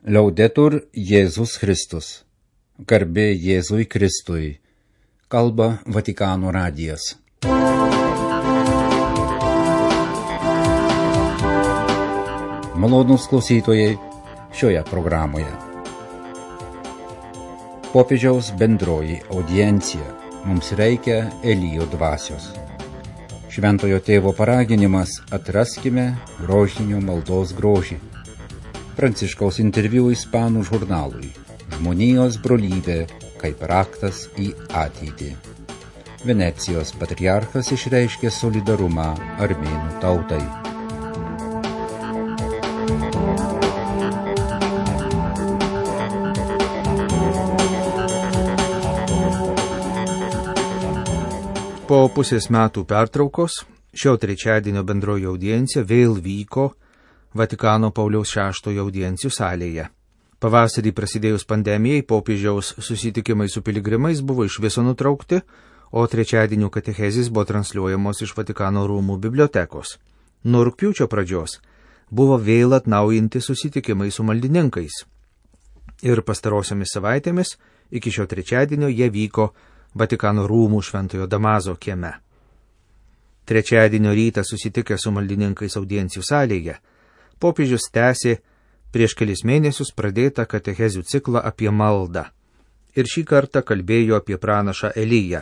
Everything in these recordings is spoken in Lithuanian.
Liaudetur Jėzus Kristus. Garbė Jėzui Kristui. Kalba Vatikano radijas. Malonūs klausytojai šioje programoje. Popiežiaus bendroji audiencija. Mums reikia Elijo dvasios. Šventojo tėvo paraginimas: atraskime rožinio maldos grožį. Pranciškaus interviu ispanų žurnalui Žmonijos brolybė kaip raktas į ateitį. Venecijos patriarchas išreiškė solidarumą armėnų tautai. Po pusės metų pertraukos šio trečiadienio bendroji audiencija vėl vyko Vatikano Pauliaus VI audiencijų salėje. Pavasarį prasidėjus pandemijai, popiežiaus susitikimai su piligrimais buvo iš viso nutraukti, o trečiadienių katechezės buvo transliuojamos iš Vatikano rūmų bibliotekos. Nuo rugpjūčio pradžios buvo vėl atnaujinti susitikimai su maldininkais. Ir pastarosiomis savaitėmis iki šio trečiadienio jie vyko Vatikano rūmų Šventojo Damazo kieme. Trečiadienio rytą susitikę su maldininkais audiencijų salėje, popiežius tęsė prieš kelis mėnesius pradėtą katechezių ciklą apie maldą. Ir šį kartą kalbėjo apie pranašą Eliją,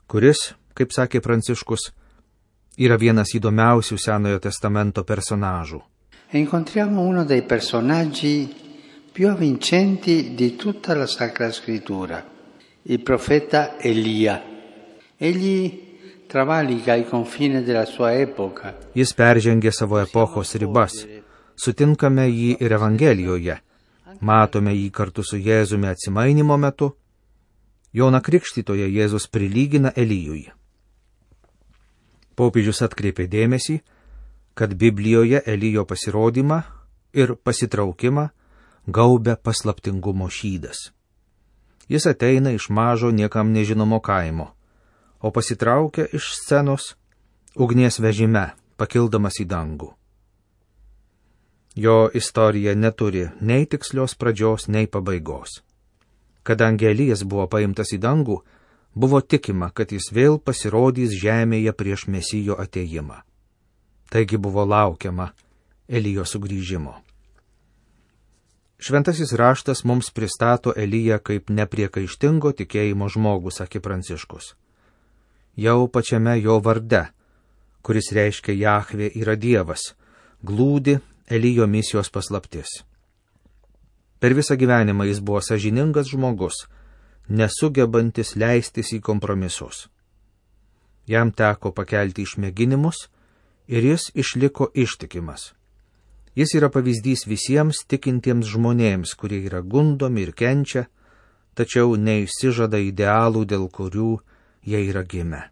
kuris, kaip sakė Pranciškus, yra vienas įdomiausių Senojo testamento personažų. Incontriamo uno dei personaggi più avvincenti di tutta la Sacra Scrittura, il profeta Elia. Egli travalica i confini della sua epoca. Jis peržengė savo epochos ribas. Sutinkame jį ir Evangelijoje. Matome jį kartu su Jėzumi atsimainimo metu. Joną Krikštytoją Jėzus prilygina Elijui. Popiežius atkreipė dėmesį, kad Biblijoje Elijo pasirodymą ir pasitraukimą gaubia paslaptingumo šydas. Jis ateina iš mažo niekam nežinomo kaimo, o pasitraukia iš scenos ugnies vežime, pakildamas į dangų. Jo istorija neturi nei tikslios pradžios, nei pabaigos. Kadangi Elijas buvo paimtas į dangų, buvo tikima, kad jis vėl pasirodys žemėje prieš Mesijo atėjimą. Taigi buvo laukiama Elijo sugrįžimo. Šventasis raštas mums pristato Eliją kaip nepriekaištingo tikėjimo žmogų, sakė Pranciškus. Jau pačiame jo varde, kuris reiškia Jahvė yra Dievas, glūdi Elijo misijos paslaptis. Per visą gyvenimą jis buvo sąžiningas žmogus, nesugebantis leistis į kompromisus. Jam teko pakelti išmėginimus ir jis išliko ištikimas. Jis yra pavyzdys visiems tikintiems žmonėms, kurie yra gundomi ir kenčia, tačiau neišsižada idealų, dėl kurių jie yra gimę.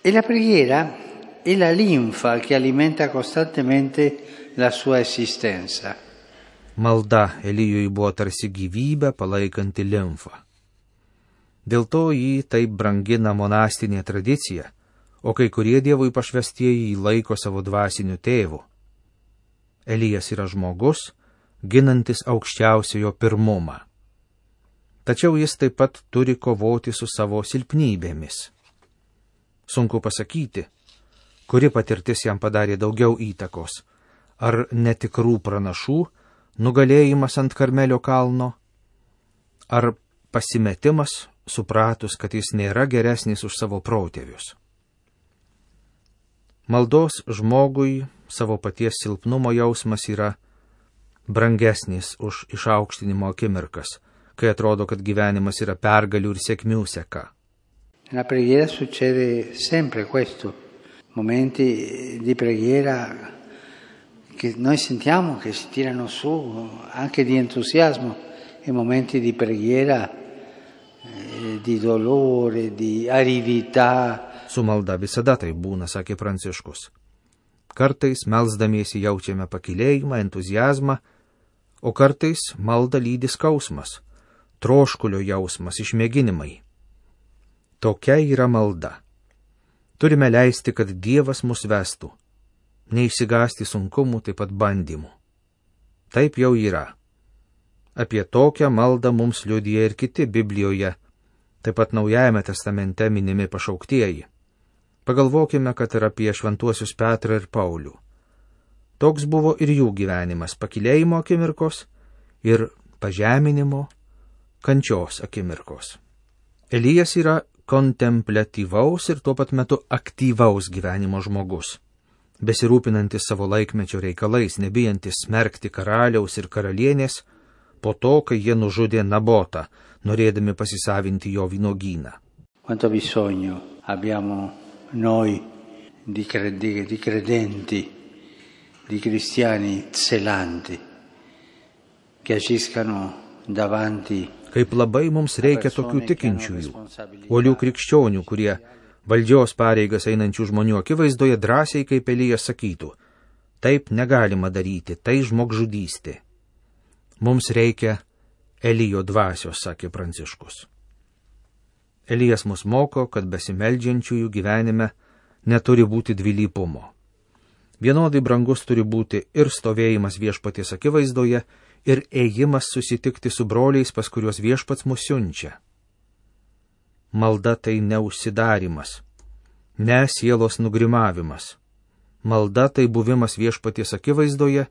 E la preghiera è la linfa che alimenta costantemente la sua esistenza. Malda Elijui buvo tarsi gyvybę palaikanti limfa. Dėl to jį taip brangina monastinė tradicija, o kai kurie Dievui pašvestieji jį laiko savo dvasiniu tėvu. Elijas yra žmogus, ginantis aukščiausiojo pirmumą. Tačiau jis taip pat turi kovoti su savo silpnybėmis. Sunku pasakyti, kuri patirtis jam padarė daugiau įtakos, ar netikrų pranašų nugalėjimas ant Karmelio kalno, ar pasimetimas, supratus, kad jis nėra geresnis už savo protėvius. Maldos žmogui savo paties silpnumo jausmas yra brangesnis už išaukštinimo akimirkas, kai atrodo, kad gyvenimas yra pergalių ir sėkmių seka. Nella preghiera succede sempre questo, momenti di preghiera che noi sentiamo che si tirano su, anche di entusiasmo, e momenti di preghiera di dolore, di aridità. Su malda visada tai būna, sakė Pranciškus. Kartais melsdamiesi jaučiame pakilėjimą, entuziazmą, o kartais malda lydi skausmas, troškulio jausmas, išmėginimai. Tokia yra malda. Turime leisti, kad Dievas mus vestų, neišsigąsti sunkumų, taip pat bandymų. Taip jau yra. Apie tokią maldą mums liudija ir kiti Biblijoje, taip pat Naujajame testamente minimi pašauktieji. Pagalvokime, kad ir apie šventuosius Petrą ir Paulių. Toks buvo ir jų gyvenimas – pakilėjimo akimirkos ir pažeminimo, kančios akimirkos. Elijas yra kontempliatyvaus ir tuo pat metu aktyvaus gyvenimo žmogus, besirūpinantis savo laikmečio reikalais, nebijantis smerkti karaliaus ir karalienės po to, kai jie nužudė Nabotą, norėdami pasisavinti jo vynuogyną. Quanto bisogno abbiamo noi di credenti, di cristiani zelanti, che agiscano davanti. Kaip labai mums reikia tokių tikinčiųjų, uolių krikščionių, kurie valdžios pareigas einančių žmonių akivaizdoje drąsiai kaip Elijas sakytų, taip negalima daryti, tai žmogžudystė. Mums reikia Elijo dvasios, sakė Pranciškus. Elijas mus moko, kad besimeldžiančiųjų gyvenime neturi būti dvilypumo. Vienodai brangus turi būti ir stovėjimas viešpaties akivaizdoje, ir ėjimas susitikti su broliais, pas kuriuos viešpats mus siunčia. Malda tai ne užsidarimas, ne sielos nugrimavimas. Malda tai buvimas viešpaties akivaizdoje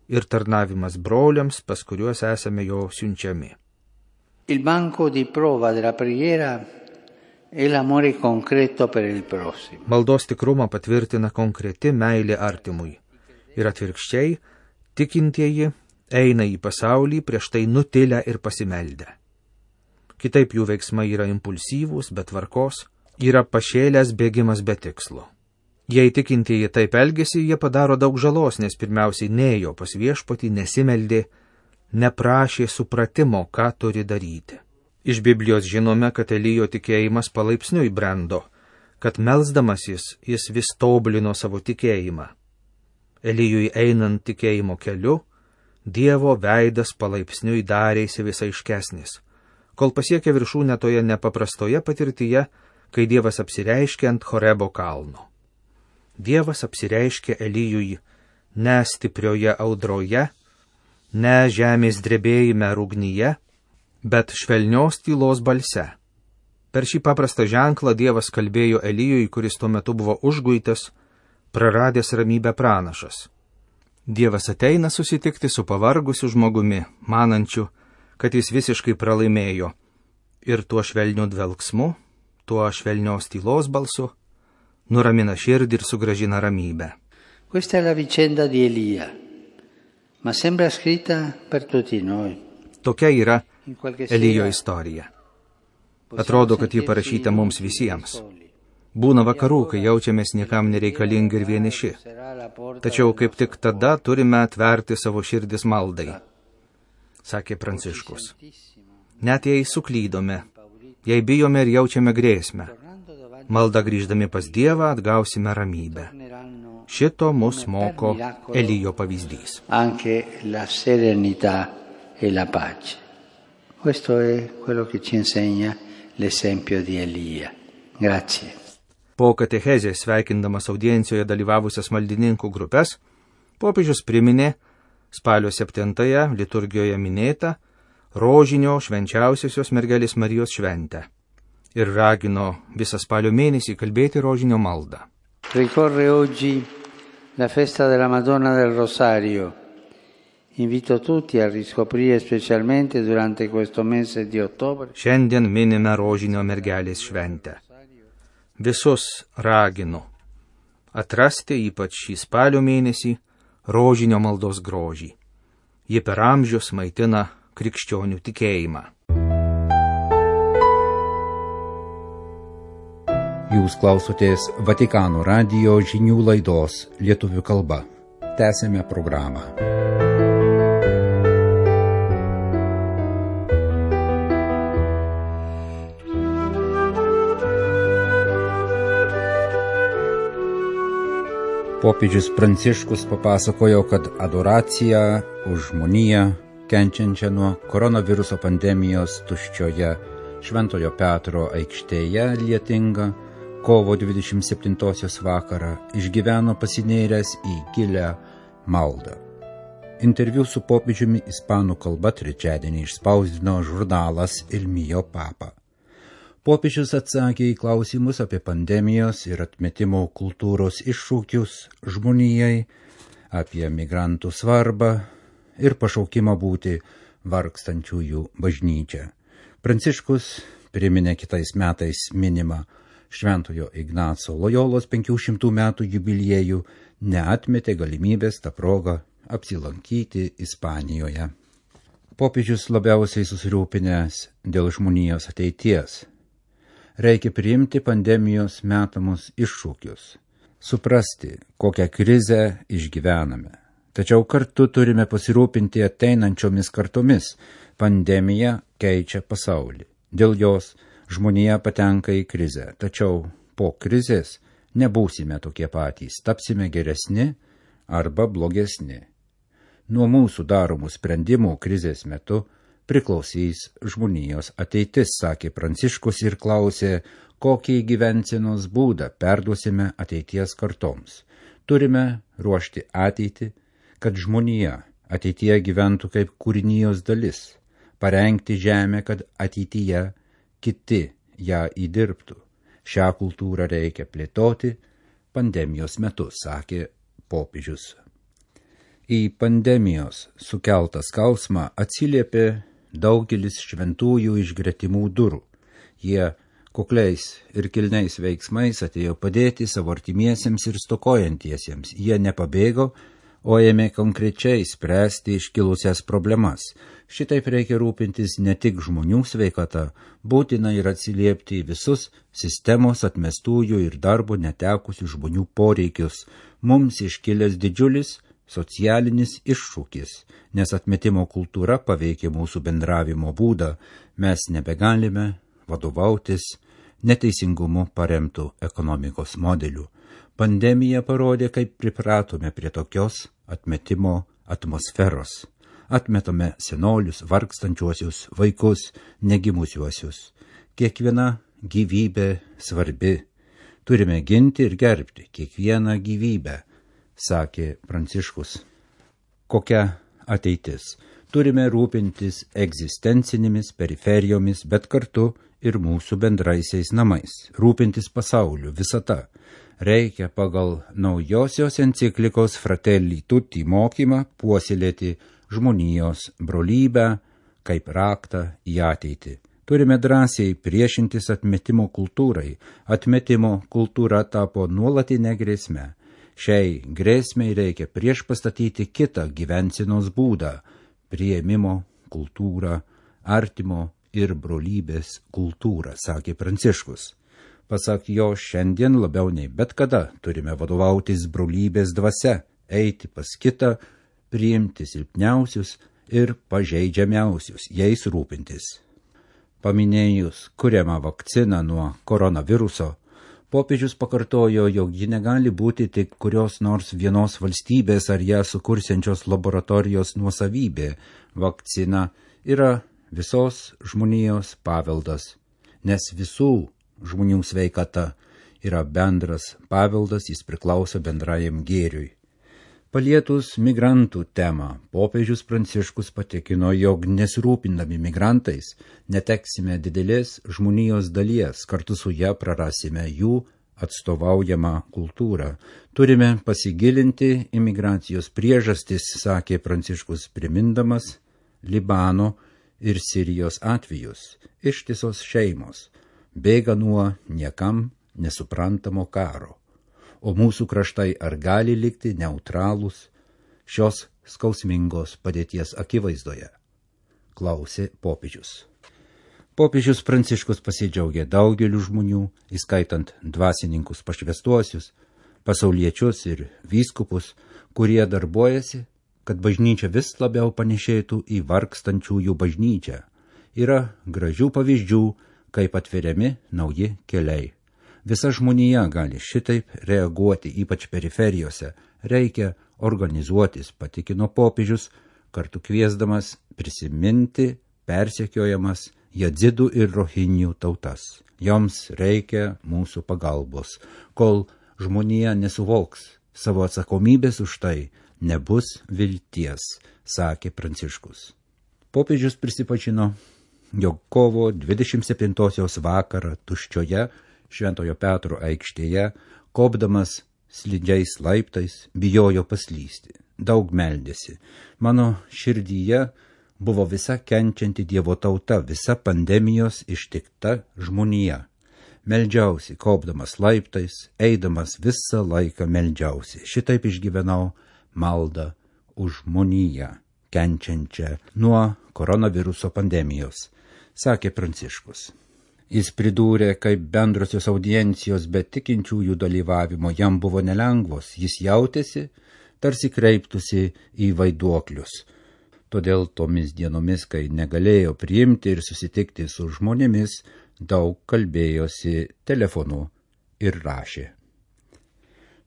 ir tarnavimas broliams, pas kuriuos esame jo siunčiami. Il banco di prova della preghiera è l'amore concreto per il prossimo. Maldos tikrumą patvirtina konkreti meilė artimui. Ir atvirkščiai, tikintieji eina į pasaulį prieš tai nutilę ir pasimeldę. Kitaip jų veiksmai yra impulsyvūs, be tvarkos, yra pašėlęs bėgimas be tikslo. Jei tikintieji taip elgesi, jie padaro daug žalos, nes pirmiausiai nėjo pas viešpatį, nesimeldė, neprašė supratimo, ką turi daryti. Iš Biblijos žinome, kad Elijo tikėjimas palaipsniui brendo, kad melsdamasis jis vis tobulino savo tikėjimą. Elijui einant tikėjimo keliu, Dievo veidas palaipsniui darėsi vis aiškesnis, kol pasiekė viršūnę toje nepaprastoje patirtyje, kai Dievas apsireiškė ant Horebo kalno. Dievas apsireiškė Elijui ne stiprioje audroje, ne žemės drebėjime rugnyje, bet švelnios tylos balse. Per šį paprastą ženklą Dievas kalbėjo Elijui, kuris tuo metu buvo užguitas, praradęs ramybę pranašas. Dievas ateina susitikti su pavargusiu žmogumi, manančiu, kad jis visiškai pralaimėjo, ir tuo švelniu dvelksmu, tuo švelnios tylos balsu, nuramina širdį ir sugrąžina ramybę. Questa è la vicenda di Elia, ma sembra scritta per tutti noi. Tokia yra Elijo istorija. Atrodo, kad ji parašyta mums visiems. Būna vakarų, kai jaučiamės niekam nereikalingi ir vieniši. Tačiau kaip tik tada turime atverti savo širdis maldai, sakė Pranciškus. Net jei suklydome, jei bijome ir jaučiame grėsmę, malda grįždami pas Dievą atgausime ramybę. Šito mus moko Elijo pavyzdys. Anche la serenità e la pace. Questo è quello che ci insegna l'esempio di Elia. Grazie. Po katechezės sveikindamas audiencijoje dalyvavusias maldininkų grupės, popiežius priminė spalio 7 liturgijoje minėtą rožinio švenčiausiosios mergelės Marijos šventę ir ragino visą spalio mėnesį kalbėti rožinio maldą. Ricorre oggi la festa della Madonna del Rosario. Invito tutti a riscoprire specialmente durante questo mese di ottobre. Šiandien minime rožinio mergelės šventę. Visus raginu atrasti ypač šį spalio mėnesį rožinio maldos grožį. Ji per amžius maitina krikščionių tikėjimą. Jūs klausotės Vatikano radijo žinių laidos lietuvių kalba. Tęsėme programą. Popiežius Pranciškus papasakojo, kad adoracija už žmoniją, kenčiančią nuo koronaviruso pandemijos tuščioje Šventojo Petro aikštėje lietinga kovo 27 vakarą išgyveno pasinėręs į gilią maldą. Interviu su popiežiumi ispanų kalba trečiadienį išspausdino žurnalas Il Mio Papa. Popiežius atsakė į klausimus apie pandemijos ir atmetimo kultūros iššūkius žmonijai, apie migrantų svarbą ir pašaukimą būti vargstančiųjų bažnyčia. Pranciškus priminė kitais metais minimą Šventojo Ignaco Lojolos 500 metų jubiliejų, neatmetė galimybės tą progą apsilankyti Ispanijoje. Popiežius labiausiai susirūpinęs dėl žmonijos ateities. Reikia priimti pandemijos metamus iššūkius, suprasti, kokią krizę išgyvename. Tačiau kartu turime pasirūpinti ateinančiomis kartomis. Pandemija keičia pasaulį. Dėl jos žmonija patenka į krizę. Tačiau po krizės nebūsime tokie patys, tapsime geresni arba blogesni. Nuo mūsų daromų sprendimų krizės metu priklausys žmonijos ateitis, sakė Pranciškus ir klausė, kokį gyvensenos būdą perduosime ateities kartoms. Turime ruošti ateitį, kad žmonija ateityje gyventų kaip kūrinijos dalis, parengti žemę, kad ateityje kiti ją įdirbtų. Šią kultūrą reikia plėtoti pandemijos metu, sakė popiežius. Į pandemijos sukeltą skausmą atsiliepė daugelis šventųjų iš gretimų durų. Jie kukliais ir kilniais veiksmais atėjo padėti savo artimiesiems ir stokojantiesiems. Jie nepabėgo, o ėmė konkrečiai spręsti iškilusias problemas. Šitaip reikia rūpintis ne tik žmonių sveikata, būtina ir atsiliepti į visus sistemos atmestųjų ir darbo netekusių žmonių poreikius. Mums iškilęs didžiulis socialinis iššūkis, nes atmetimo kultūra paveikia mūsų bendravimo būdą, mes nebegalime vadovautis neteisingumu paremtų ekonomikos modelių. Pandemija parodė, kaip pripratome prie tokios atmetimo atmosferos. Atmetome senolius, vargstančiuosius, vaikus, negimusiuosius. Kiekviena gyvybė svarbi. Turime ginti ir gerbti kiekvieną gyvybę, sakė Pranciškus. Kokia ateitis? Turime rūpintis egzistencinėmis periferijomis, bet kartu ir mūsų bendraisiais namais. Rūpintis pasauliu, visata. Reikia pagal naujosios enciklikos Fratelli Tutti mokymą puoselėti žmonijos brolybę kaip raktą į ateitį. Turime drąsiai priešintis atmetimo kultūrai. Atmetimo kultūra tapo nuolatinė grėsme. Šiai grėsmei reikia priešpastatyti kitą gyvensenos būdą – priėmimo kultūrą, artimo ir brolybės kultūrą, sakė Pranciškus. Pasak jo, šiandien labiau nei bet kada turime vadovautis brolybės dvasia, eiti pas kitą, priimti silpniausius ir pažeidžiamiausius, jais rūpintis. Paminėjus kuriamą vakciną nuo koronaviruso, popiežius pakartojo, jog ji negali būti tik kurios nors vienos valstybės ar ją sukursiančios laboratorijos nuosavybė. Vakcina yra visos žmonijos paveldas, nes visų žmonių sveikata yra bendras paveldas, jis priklauso bendrajam gėriui. Palietus migrantų temą, popiežius Pranciškus patikino, jog nesirūpindami migrantais neteksime didelės žmonijos dalies, kartu su ją prarasime jų atstovaujamą kultūrą. Turime pasigilinti į migracijos priežastis, sakė Pranciškus, primindamas Libano ir Sirijos atvejus. Ištisos šeimos bėga nuo niekam nesuprantamo karo. O mūsų kraštai ar gali likti neutralūs šios skausmingos padėties akivaizdoje? Klausė popiežius. Popiežius Pranciškus pasidžiaugė daugeliu žmonių, įskaitant dvasininkus pašvęstuosius, pasauliečius ir vyskupus, kurie darbuojasi, kad bažnyčia vis labiau panešėtų į vargstančiųjų bažnyčią. Yra gražių pavyzdžių, kaip atveriami nauji keliai. Visa žmonija gali šitaip reaguoti, ypač periferijose. Reikia organizuotis, patikino popiežius, kartu kviesdamas prisiminti persekiojamas jadzidų ir rohinjų tautas. Joms reikia mūsų pagalbos. Kol žmonija nesuvoks savo atsakomybės už tai, nebus vilties, sakė Pranciškus. Popiežius prisipažino, jog kovo 27-osios vakarą tuščioje Šventojo Petro aikštėje, kopdamas slidžiais laiptais, bijojo paslysti. Daug meldėsi. Mano širdyje buvo visa kenčianti Dievo tauta, visa pandemijos ištikta žmonija. Meldžiausi, kopdamas laiptais, eidamas visą laiką meldžiausi. Šitaip išgyvenau maldą už žmoniją, kenčiančią nuo koronaviruso pandemijos, sakė Pranciškus. Jis pridūrė, kaip bendrosios audiencijos be tikinčiųjų dalyvavimo jam buvo nelengvos, jis jautėsi, tarsi kreiptųsi į vaiduoklius. Todėl tomis dienomis, kai negalėjo priimti ir susitikti su žmonėmis, daug kalbėjosi telefonu ir rašė.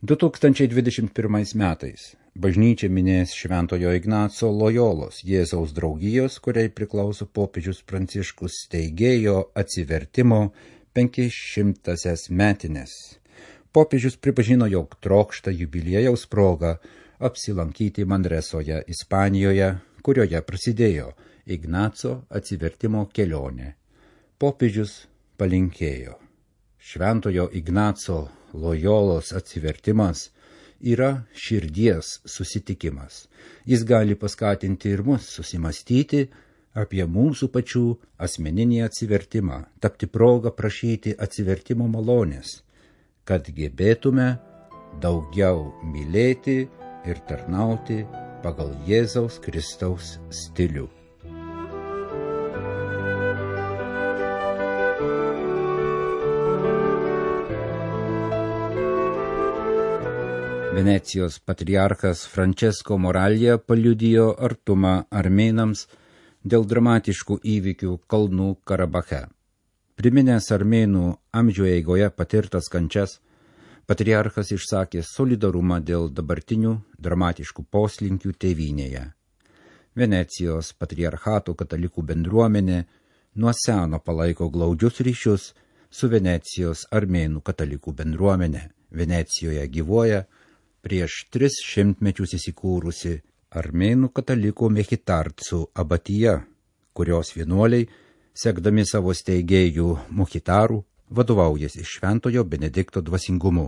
2021 metais bažnyčia minės Šventojo Ignaco Lojolos Jėzaus draugijos, kuriai priklauso popiežius Pranciškus, steigėjo atsivertimo 500 metines. Popiežius pripažino, jog trokšta jubiliejaus proga apsilankyti Manresoje, Ispanijoje, kurioje prasidėjo Ignaco atsivertimo kelionė. Popiežius palinkėjo. Šventojo Ignaco Lojolos atsivertimas yra širdies susitikimas. Jis gali paskatinti ir mus susimastyti apie mūsų pačių asmeninį atsivertimą, tapti progą prašyti atsivertimo malonės, kad gebėtume daugiau mylėti ir tarnauti pagal Jėzaus Kristaus stilių. Venecijos patriarchas Francesco Moralja paliudijo artumą armėnams dėl dramatiškų įvykių Kalnų Karabache. Priminęs armėnų amžių eigoje patirtas kančias, patriarchas išsakė solidarumą dėl dabartinių dramatiškų poslinkių tėvynėje. Venecijos patriarchato katalikų bendruomenė nuo seno palaiko glaudžius ryšius su Venecijos armėnų katalikų bendruomenė. Venecijoje gyvuoja prieš 300 metus įsikūrusi armėnų katalikų Mechitarcų abatija, kurios vienuoliai, sekdami savo steigėjų Mochitarų, vadovaujasi Šventojo Benedikto dvasingumu.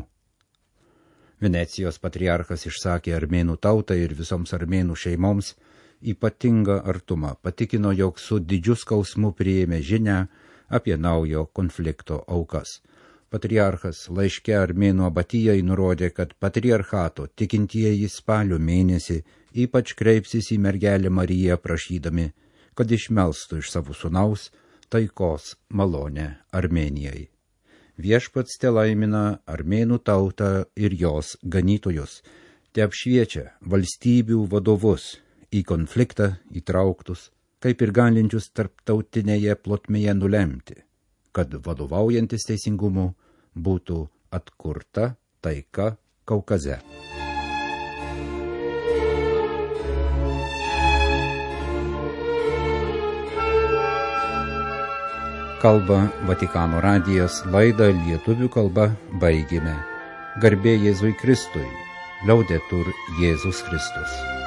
Venecijos patriarchas išsakė armėnų tautai ir visoms armėnų šeimoms ypatingą artumą, patikino, jog su didžiu skausmu priėmė žinią apie naujo konflikto aukas. Patriarchas laiške armėnų abatijai nurodė, kad patriarchato tikintieji spalio mėnesį ypač kreipsis į mergelę Mariją prašydami, kad išmelstų iš savo sūnaus taikos malonę Armėnijai. Viešpats telaimina armėnų tautą ir jos ganytojus, te apšviečia valstybių vadovus į konfliktą įtrauktus, kaip ir galinčius tarptautinėje plotmėje nulemti, kad vadovaujantis teisingumu būtų atkurta taika Kaukaze. Kalba Vatikano radijas, laidą lietuvių kalba baigėme. Garbė Jėzui Kristui, Liaudetur Jėzus Kristus.